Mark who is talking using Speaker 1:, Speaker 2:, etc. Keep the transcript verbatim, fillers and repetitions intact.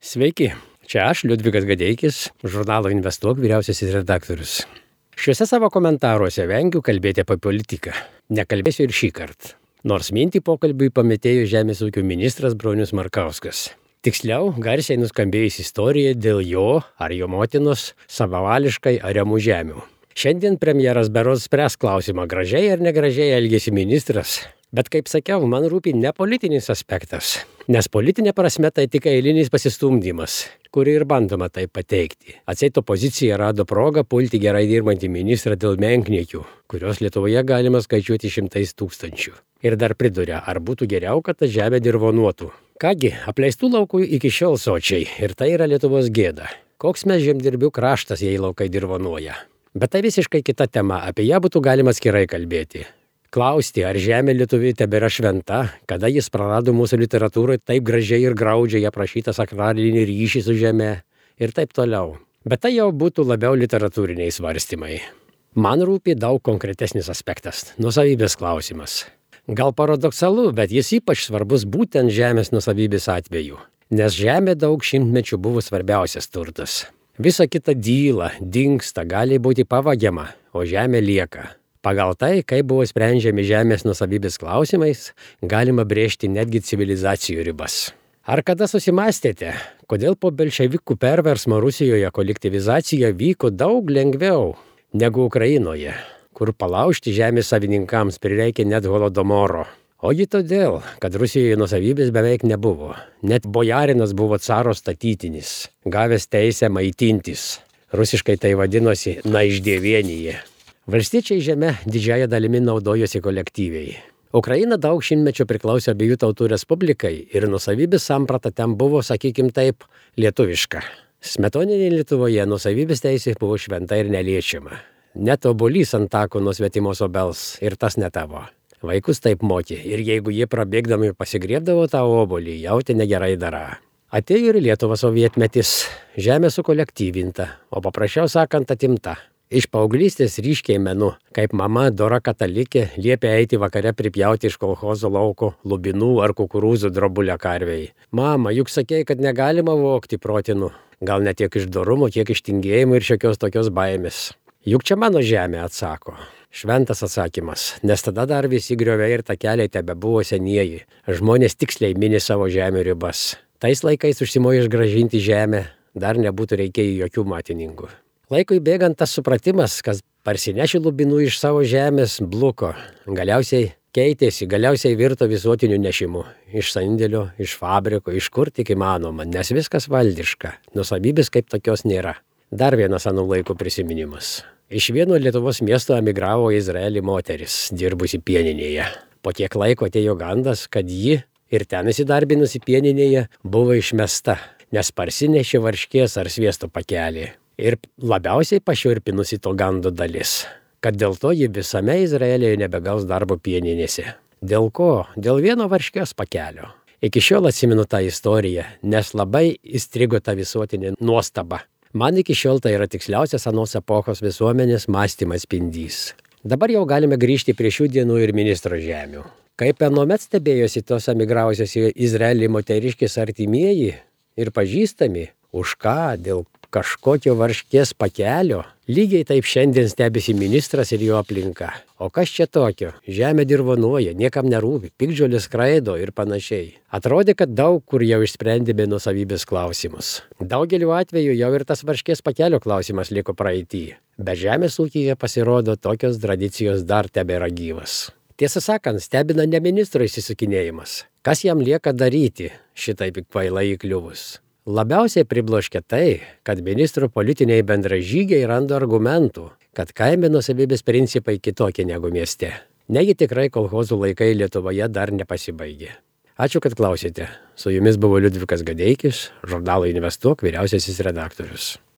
Speaker 1: Sveiki, čia aš, Liudvikas Gadeikis, žurnalo Investuok vyriausiasis redaktorius. Šiuose savo komentaruose vengiu kalbėti apie politiką. Nekalbėsiu ir šį kartą. Nors mintį pokalbiui pametėjo Žemės ūkio ministras Bronius Markauskas. Tiksliau, garsiai nuskambėjusi istorija dėl jo ar jo motinos savavališkai ariamų žemių. Šiandien premjeras berods spręs klausimą, gražiai ar negražiai elgėsi ministras. Bet kaip sakiau, man rūpi ne politinis aspektas, nes politinė prasme tai tik eilinis pasistumdymas, kurį ir bandoma tai pateikti. Atseit opozicija rado progą pulti gerai dirbantį ministrą dėl menkniekių, kurios Lietuvoje galima skaičiuoti šimtais tūkstančių. Ir dar priduria, ar būtų geriau, kad ta žemė dirvonuotų. Kągi, apleistų laukų iki šiol sočiai, ir tai yra Lietuvos gėda. Koks mes žemdirbių kraštas, jei laukai dirvonuoja. Bet tai visiškai kita tema, apie ją būtų galima atskirai kalbėti. Klausti, ar žemė lietuviui tebėra šventa, kada jis prarado mūsų literatūroje taip gražiai ir graudžiai aprašytą sakralinį ryšį su žeme ir taip toliau. Bet tai jau būtų labiau literatūriniai svarstymai. Man rūpi daug konkretesnis aspektas – nuosavybės klausimas. Gal paradoksalu, bet jis ypač svarbus būtent žemės nuosavybės atveju, nes žemė daug šimtmečių buvo svarbiausias turtas. Visa kita dyla, dingsta, gali būti pavagiama, o žemė lieka. Pagal tai, kaip buvo sprendžiami žemės nuosavybės klausimais, galima brėžti netgi civilizacijų ribas. Ar kada susimąstėte, kodėl po bolševikų perversmo Rusijoje kolektyvizacija vyko daug lengviau negu Ukrainoje, kur palaužti žemės savininkams prireikė net holodomoro? Ogi todėl, kad Rusijoje nuosavybės beveik nebuvo. Net bojarinas buvo caro statytinis, gavęs teisę maitintis. Rusiškai tai vadinosi naiždėvienyje. Valstiečiai žeme didžiąją dalimi naudojosi kolektyviai. Ukraina daug šimtmečių priklausė abiejų tautų respublikai ir nuosavybės samprata ten buvo, sakykim taip, lietuviška. Smetoninėje Lietuvoje nuosavybės teisė buvo šventa ir neliečiama. Net obuolys ant tako nuo svetimos obels ir tas ne tavo. Vaikus taip mokė ir jeigu jie prabėgdami pasigriebdavo tą obuolį, jautė negerai darą. Atėjo ir Lietuva sovietmetis, žemė sukolektyvinta, o paprasčiau sakant atimta. Iš paauglystės ryškiai menu, kaip mama dora katalikė liepė eiti vakare pripjauti iš kolchozo lauko lubinų ar kukurūzų drobulę karvei. Mama, juk sakei, kad negalima vogti protinų. Gal ne tiek iš dorumo, kiek iš tingėjimo ir šiokios tokios baimės. Juk čia mano žemė, atsako. Šventas atsakymas, nes tada dar visi grioviai ir takeliai tebebuvo senieji. Žmonės tiksliai mini savo žemių ribas. Tais laikais užsimojo išgražinti žemę, dar nebūtų reikėję jokių matininkų. Laikui bėgant tas supratimas, kas parsinešė lubinų iš savo žemės, bluko. Galiausiai keitėsi, galiausiai virto visuotiniu nešimu. Iš sandėlio, iš fabriko, iš kur tik įmanoma, nes viskas valdiška. Nuosavybės kaip tokios nėra. Dar vienas anų laikų prisiminimas. Iš vieno Lietuvos miesto emigravo į Izraelį moteris, dirbusi pieninėje. Po tiek laiko atėjo gandas, kad ji ir ten įsidarbinusi pieninėje buvo išmesta, nes parsinešė varškės ar sviesto pakelį. Ir labiausiai pašiurpinusi to gando dalis, kad dėl to ji visame Izraelyje nebegaus darbo pieninėse. Dėl ko? Dėl vieno varškės pakelio. Iki šiol atsimenu tą istoriją, nes labai įstrigo ta visuotinė nuostaba. Man iki šiol tai yra tiksliausias anos epochos visuomenės mąstymas spindys. Dabar jau galime grįžti prie šių dienų ir ministro žemių. Kaip anuomet stebėjosi tos emigravusios į Izraelį moteriškės artimieji ir pažįstami, už ką, dėl kažkokio varškės pakelio, lygiai taip šiandien stebisi ministras ir jo aplinka. O kas čia tokio? Žemė dirvonuoja, niekam nerūpi, piktžolės skraido ir panašiai. Atrodė, kad daug kur jau išsprendėme nuosavybės klausimus. Daugeliu atveju jau ir tas varškės pakelio klausimas liko praeity. Bet žemės ūkyje pasirodo tokios tradicijos dar tebėra gyvas. Tiesą sakant, stebina ne ministro įsisukinėjimas. Kas jam lieka daryti šitaip kvailai įkliuvus? Labiausiai pribloškia tai, kad ministro politiniai bendražygiai randa argumentų, kad kaime nuosavybės principai kitokie negu mieste. Negi tikrai kolchozų laikai Lietuvoje dar nepasibaigė. Ačiū, kad klausėte. Su jumis buvo Liudvikas Gadeikis, žurnalo Investuok vyriausiasis redaktorius.